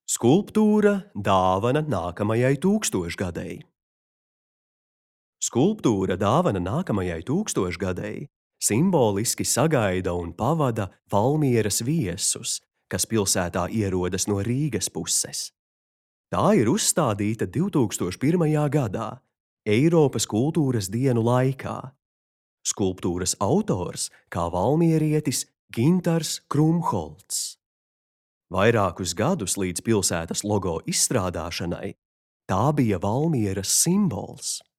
Skulptūra dāvana nākamajai tūkstošgadei. Skulptūra dāvana nākamajai tūkstošgadei simboliski sagaida un pavada Valmieras viesus, kas pilsētā ierodas no Rīgas puses. Tā ir uzstādīta 2001. gadā, Eiropas kultūras dienu laikā. Skulptūras autors kā valmierietis Gintars Krumholts. Vairākus gadus līdz pilsētas logo izstrādāšanai tā bija Valmieras simbols.